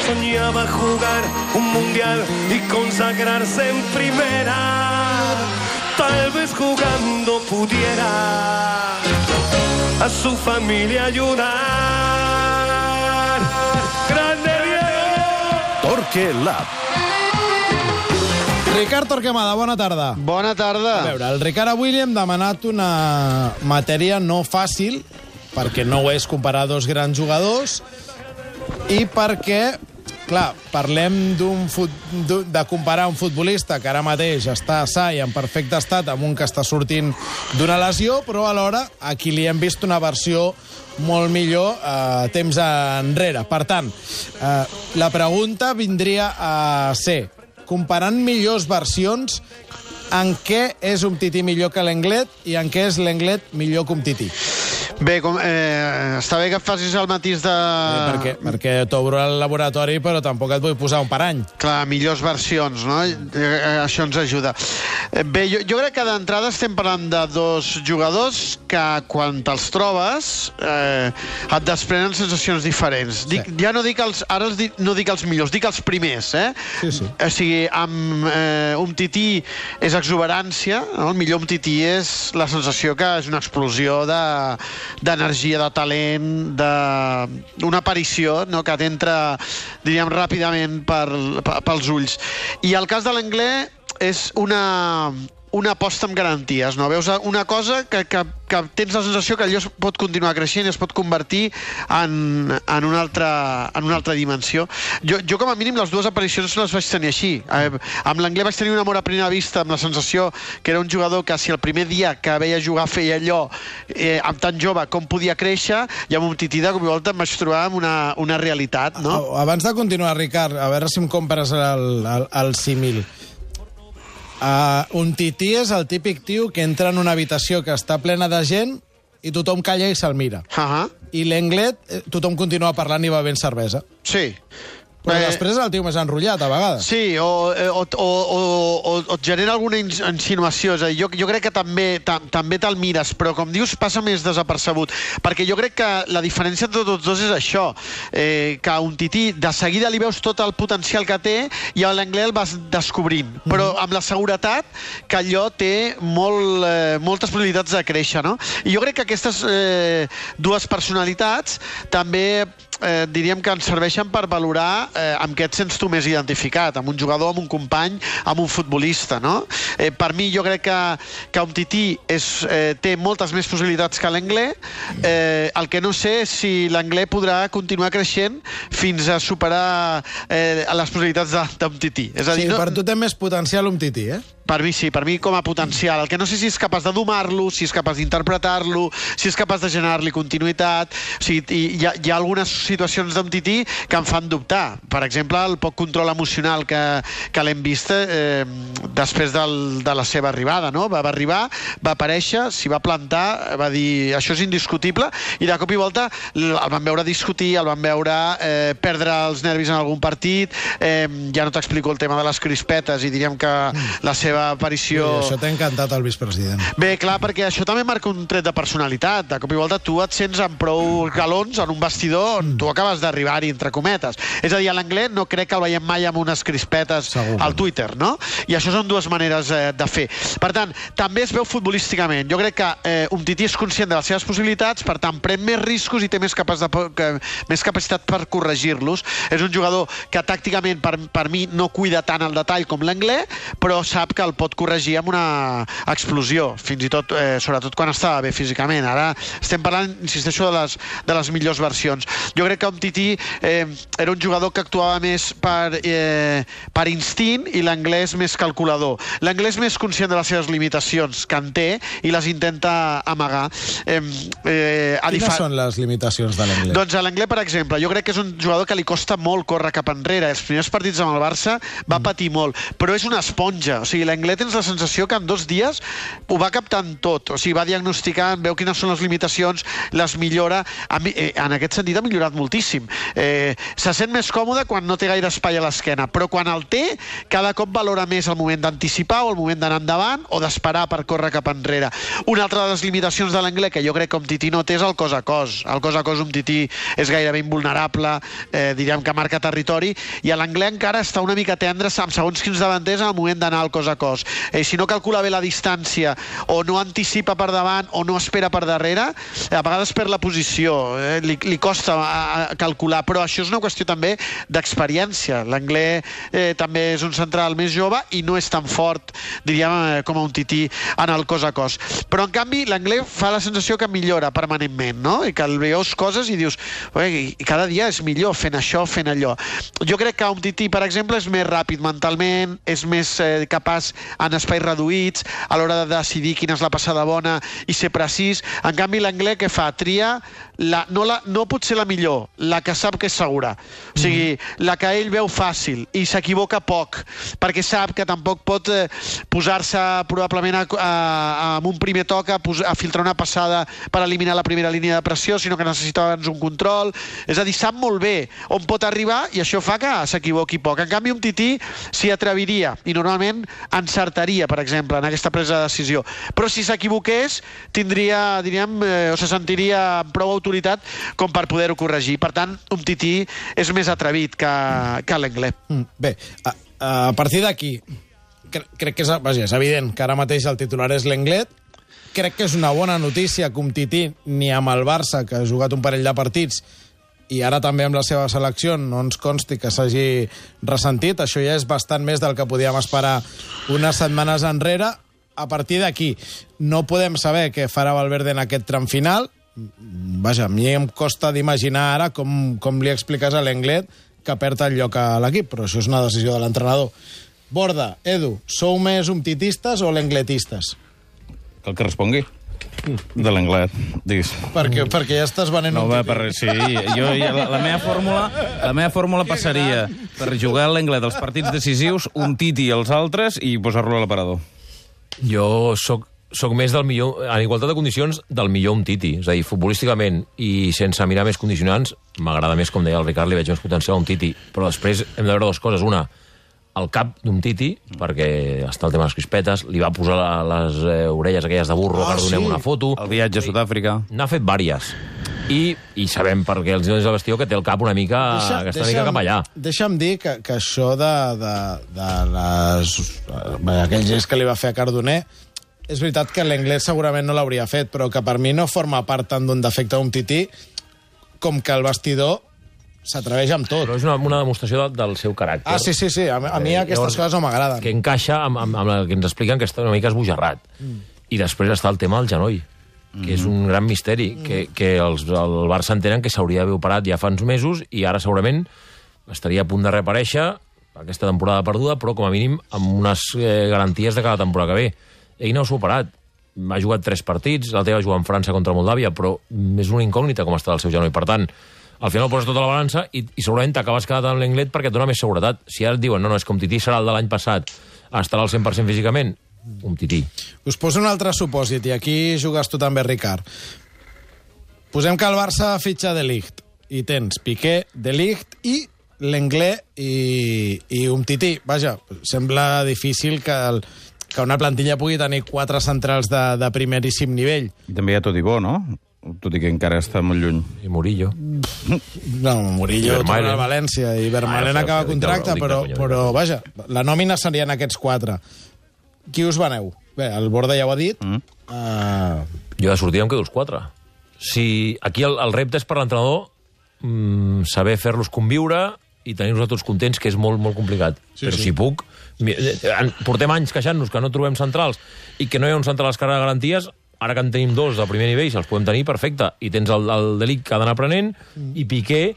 soñaba jugar un mundial y consagrarse en primera. Tal vez jugando pudiera a su familia ayudar. ¡Grande Diego! Torque Lab. Ricard Torquemada, bona tarda. Bona tarda. A veure, el Ricard avui li hem demanat una matèria no fàcil, perquè no ho és comparar dos grans jugadors, i perquè, clar, parlem de comparar un futbolista que ara mateix està sa i en perfecte estat amb un que està sortint d'una lesió, però alhora aquí li hem vist una versió molt millor temps enrere. Per tant, la pregunta vindria a ser, comparant millors versions, en què és Umtiti millor que l'Englet i en què és l'Englet millor que Umtiti? Bé, està bé que facis el matís de... Perquè t'obro el laboratori, però tampoc et vull posar un parany. Clar, millors versions, no? Això ens ajuda. Bé, jo crec que d'entrada estem parlant de dos jugadors que quan te'ls trobes et desprenen sensacions diferents. Sí. Ja no dic no dic els millors, dic els primers, eh? Sí. O sigui, amb Umtiti és exuberància, no? El millor Umtiti és la sensació que és una explosió d'energia, de talent, d'una aparició, no? Que t'entra, diríem, ràpidament pels ulls. I el cas de l'Anglès és una aposta amb garanties, no? Veus una cosa que tens la sensació que allò es pot continuar creixent i es pot convertir en una altra dimensió. Jo com a mínim, les dues aparicions les vaig tenir així. Amb l'Anglès vaig tenir un amor a primera vista, amb la sensació que era un jugador que si el primer dia que veia jugar feia allò amb tan jove com podia créixer, i amb Umtiti de cop i volta em vaig trobar amb una realitat, no? Abans de continuar, Ricard, a veure si em compres el símil. Umtiti és el típic tio que entra en una habitació que està plena de gent i tothom calla i se'l mira. I l'Englet, tothom continua parlant i bevent cervesa. Sí. Però després el tio més enrotllat, a vegades. Sí, o et genera alguna insinuació. És a dir, jo crec que també te'l mires, però com dius, passa més desapercebut. Perquè jo crec que la diferència entre tots dos és això, que a Umtiti de seguida li veus tot el potencial que té i a l'Anglès el vas descobrint. Però amb la seguretat que allò té moltes possibilitats de créixer, no? I jo crec que aquestes dues personalitats també diríem que ens serveixen per valorar amb què et sents tu més identificat, amb un jugador, amb un company, amb un futbolista, no? Per mi jo crec que Umtiti té moltes més possibilitats que l'Anglès. El que no sé és si l'Anglès podrà continuar creixent fins a superar les possibilitats d'Umtiti. Sí, per tu té més potencial Umtiti, eh? Per mi sí, per mi com a potencial. El que no sé si és capaç de domar-lo, si és capaç d'interpretar-lo, si és capaç de generar-li continuïtat. O sigui, hi ha algunes situacions d'Umtiti que em fan dubtar. Per exemple, el poc control emocional que l'hem vist després de la seva arribada, no? Va arribar, va aparèixer, s'hi va plantar, va dir això és indiscutible, i de cop i volta el van veure discutir, el van veure perdre els nervis en algun partit. Ja no t'explico el tema de les crispetes i diríem que la seva aparició... Ui, això t'ha encantat el vicepresident. Bé, clar, perquè això també marca un tret de personalitat. De cop i volta tu et sents amb prou galons en un vestidor on tu acabes d'arribar-hi, entre cometes. És a dir, a l'Anglès no crec que el veiem mai amb unes crispetes al Twitter, no? I això són dues maneres de fer. Per tant, també es veu futbolísticament. Jo crec que Umtiti és conscient de les seves possibilitats, per tant, pren més riscos i té més capacitat per corregir-los. És un jugador que tàcticament, per mi, no cuida tant el detall com l'Anglès, però sap que el pot corregir amb una explosió, fins i tot, sobretot quan estava bé físicament. Ara estem parlant, insisteixo, de les millors versions. Jo crec que Umtiti era un jugador que actuava més per instint i l'Anglès més calculador. L'Anglès més conscient de les seves limitacions que en té i les intenta amagar. Quines són les limitacions de l'Anglès? Doncs a l'Anglès, per exemple, jo crec que és un jugador que li costa molt córrer cap enrere. Els primers partits amb el Barça va patir molt, però és una esponja. O sigui, l'Anglès tens la sensació que en 2 dies ho va captant tot, o sigui, va diagnosticant, veu quines són les limitacions, les millora. En aquest sentit ha millorat moltíssim. Se sent més còmode quan no té gaire espai a l'esquena, però quan el té, cada cop valora més el moment d'anticipar o el moment d'anar endavant o d'esperar per córrer cap enrere. Una altra de les limitacions de l'Anglès, que jo crec que Umtiti no té, és el cos a cos. El cos a cos Umtiti és gairebé invulnerable, diríem que marca territori, i l'Anglès encara està una mica tendre amb segons quins davanters en el moment d'anar al cos a cos. Si no calcula bé la distància o no anticipa per davant o no espera per darrere, a vegades perd la posició, li costa calcular, però això és una qüestió també d'experiència. L'Anglès també és un central més jove i no és tan fort, diríem, com a Umtiti en el cos a cos. Però en canvi l'Anglès fa la sensació que millora permanentment, no? I que el veus coses i dius, cada dia és millor fent això, fent allò. Jo crec que Umtiti, per exemple, és més ràpid mentalment, és més capaç en espais reduïts, a l'hora de decidir quina és la passada bona i ser precís. En canvi, l'Anglès què fa? Tria no pot ser la millor, la que sap que és segura. O sigui, la que ell veu fàcil i s'equivoca poc, perquè sap que tampoc pot posar-se probablement amb un primer toc a filtrar una passada per eliminar la primera línia de pressió, sinó que necessita abans un control. És a dir, sap molt bé on pot arribar i això fa que s'equivoqui poc. En canvi, Umtiti s'hi atreviria i normalment encertaria, per exemple, en aquesta presa de decisió. Però si s'equivoqués, tindria, diríem, o se sentiria amb prou autoritat com per poder-ho corregir. Per tant, Umtiti és més atrevit que l'Anglès. Bé, a partir d'aquí, crec que és evident que ara mateix el titular és l'Anglès. Crec que és una bona notícia que Umtiti, ni amb el Barça, que ha jugat un parell de partits, i ara també amb la seva selecció, no ens consti que s'hagi ressentit. Això ja és bastant més del que podíem esperar unes setmanes enrere. A partir d'aquí, no podem saber què farà Valverde en aquest tram final. Vaja, a mi em costa d'imaginar ara com li expliques a l'Anglès que perd el lloc a l'equip, però això és una decisió de l'entrenador. Borda, Edu, sou més umtitistes o l'engletistes? El que respongui. De l'Anglès, diguis. Perquè ja estàs venent no, sí, la meva fórmula passaria per jugar a l'Anglès dels partits decisius, Umtiti i els altres i posar-lo a l'aparador. Jo soc més del millor, en igualtat de condicions, del millor Umtiti. És a dir, futbolísticament i sense mirar més condicionants, m'agrada més, com deia el Ricard, li veig més potencial a Umtiti. Però després hem de veure dues coses. Una, el cap d'Umtiti, perquè està el tema de les crispetes, li va posar les orelles aquelles de burro, que donem una foto. El viatge a Sud-àfrica. N'ha fet vàries. I sabem, perquè els diuen del vestidor, que té el cap una mica cap allà. Deixa'm dir que això de aquell gest que li va fer a Cardoner, és veritat que l'Anglès segurament no l'hauria fet, però que per mi no forma part tant d'un defecte d'Umtiti com que el vestidor s'atreveix amb tot. Però és una demostració del seu caràcter. Sí. A mi aquestes coses no m'agraden. Que encaixa amb el que ens expliquen, que està una mica esbojarrat. I després està el tema del genoll, que és un gran misteri, que el Barça entenen que s'hauria d'haver operat ja fa uns mesos i ara segurament estaria a punt de reaparèixer aquesta temporada perduda, però com a mínim amb unes garanties de cada temporada que ve. Ell no s'ha operat. Ha jugat 3 partits, l'altre va jugar en França contra Moldàvia, però és una incògnita com està el seu genoll. Per tant, al final poses tota la balança i segurament t'acabes quedant en l'Anglès perquè et dona més seguretat. Si ara et diuen, no, és que Umtiti serà el de l'any passat, estarà al 100% físicament, Umtiti. Us poso un altre supòsit, i aquí jugues tu també, Ricard. Posem que el Barça fitxa De Ligt, i tens Piqué, De Ligt i l'Anglès i Umtiti. Vaja, sembla difícil que una plantilla pugui tenir 4 centrals de primeríssim nivell. I també hi ha Todibó, no? Tot i que encara està molt lluny. I Murillo. No, Murillo torna a València i Vermaelen acaba contracte, però vaja, la nòmina serien aquests 4. Qui us veneu? Bé, el Borda ja ho ha dit. Jo de sortida em quedo els 4. Si aquí el repte és per l'entrenador saber fer-los conviure i tenir-los tots contents, que és molt, molt complicat. Però si puc... Portem anys queixant-nos que no trobem centrals i que no hi ha un central a les cares de garanties. Ara que en tenim 2 de primer nivell, si els podem tenir, perfecte. I tens el De Ligt que ha d'anar aprenent i Piqué,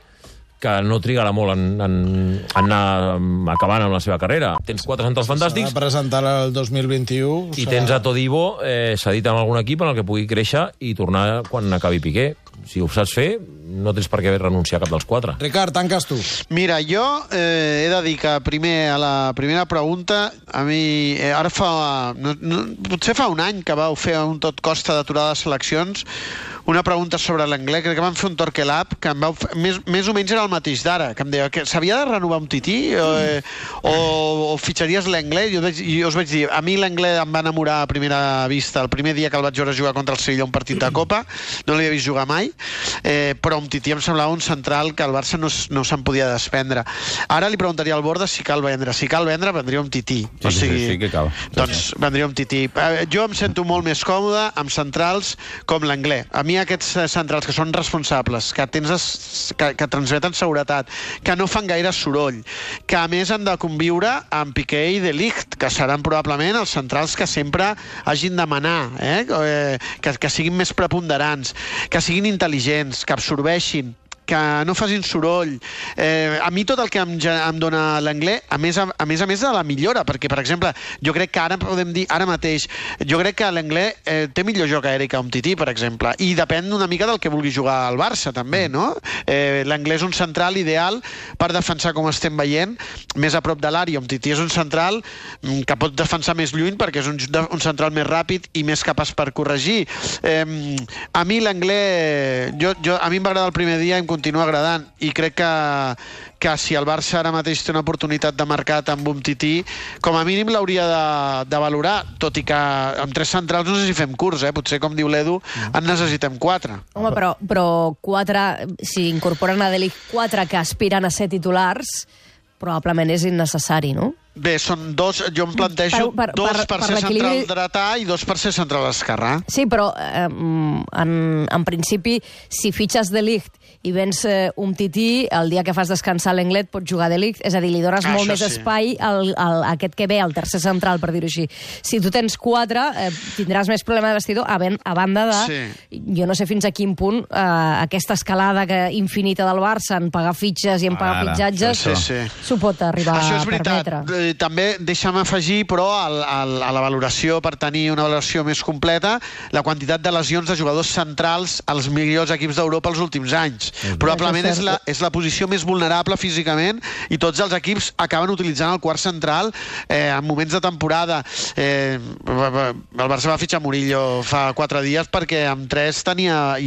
que no trigarà molt en anar acabant amb la seva carrera. Tens 4 centrals fantàstics. S'ha de presentar el 2021. I tens a Todibó cedit en algun equip en el que pugui créixer i tornar quan acabi Piqué. Si ho saps fer, no tens per què renunciar a cap dels 4. Ricard, tanques tu. Mira, jo he de dir que primer, a la primera pregunta, a mi, ara potser fa un any que vau fer un tot costa d'aturar les seleccions, una pregunta sobre l'anglès, crec que vam fer un Torquelab, que em vau més o menys era el mateix d'ara, que em deia que s'havia de renovar un tití o fitxaries l'anglès, i jo us vaig dir, a mi l'anglès em va enamorar a primera vista el primer dia que el vaig veure jugar contra el Sevilla un partit de Copa, no l'havia vist jugar mai, però un tití em semblava un central que el Barça no se'n podia desprendre. Ara li preguntaria al Borda si cal vendre. Si cal vendre, vendria un tití. Sí que cal. Doncs vendria un tití. Jo em sento molt més còmode amb centrals com l'anglès. A mi aquests centrals que són responsables, que transmeten seguretat, que no fan gaire soroll, que a més han de conviure amb Piqué i De Ligt, que seran probablement els centrals que sempre hagin de manar, que siguin més preponderants, que siguin intel·ligents, que absorbeixin, que no facin soroll. A mi tot el que em dona l'anglès, a més de la millora, perquè, per exemple, jo crec que ara podem dir, ara mateix, jo crec que l'anglès té millor joc aeri que Umtiti, per exemple, i depèn una mica del que vulgui jugar al Barça, també, no? L'anglès és un central ideal per defensar, com estem veient, més a prop de l'àrea. Umtiti és un central que pot defensar més lluny perquè és un central més ràpid i més capaç per corregir. A mi l'anglès, a mi em va agradar el primer dia, em continua agradant, i crec que si el Barça ara mateix té una oportunitat de mercat amb Umtiti, com a mínim l'hauria de valorar, tot i que amb 3 centrals no sé si fem curs, potser, com diu l'Edu, en necessitem 4. Home, però 4, si incorporen a De Ligt 4 que aspiren a ser titulars, probablement és innecessari, no? Bé, són 2, jo em plantejo 2 per ser central dretà i 2 per ser central esquerrà. Sí, però en principi, si fitxes De Ligt i vens Umtiti, el dia que fas descansar l'Englet pots jugar De Ligt, és a dir, li dones molt més espai a aquest que ve, al tercer central, per dir-ho així. Si tu tens 4, tindràs més problema de vestidor, a banda de... Jo no sé fins a quin punt aquesta escalada infinita del Barça en pagar fitxes i en pagar fitxatges s'ho pot arribar a permetre. També deixa'm afegir, però, a la valoració, per tenir una valoració més completa, la quantitat de lesions de jugadors centrals als millors equips d'Europa els últims anys. Probablement és la posició més vulnerable físicament i tots els equips acaben utilitzant el quart central en moments de temporada. El Barça va fitxar Murillo fa 4 dies perquè amb 3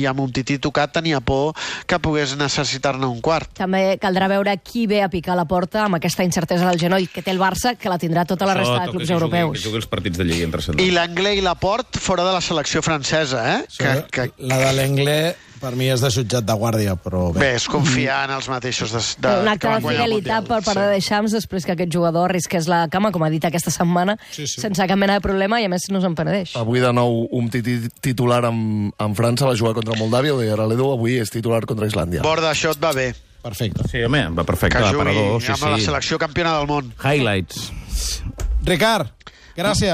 i amb un tití tocat tenia por que pogués necessitar-ne un quart. També caldrà veure qui ve a picar la porta amb aquesta incertesa del genoll que té el Barça, que la tindrà tota la resta de clubs europeus. Que jugui els partits de Lliga entre setmana. I l'Anglès i Laporte fora de la selecció francesa, La de l'Anglès per mi és de jutjat de guàrdia, però bé. Bé, és confiar en els mateixos. Un acte de fidelitat per part de Deschamps després que aquest jugador arrisqués la cama, com ha dit aquesta setmana, sense cap mena de problema, i a més no se'n penedeix. Avui de nou un titular amb França, va jugar contra Moldàvia, ho deia l'Edu, avui és titular contra Islàndia. Borda, això et va bé. Perfecte. Sí, home, va perfecte. Que jugui amb la selecció campiona del món. Highlights. Ricard, gràcies.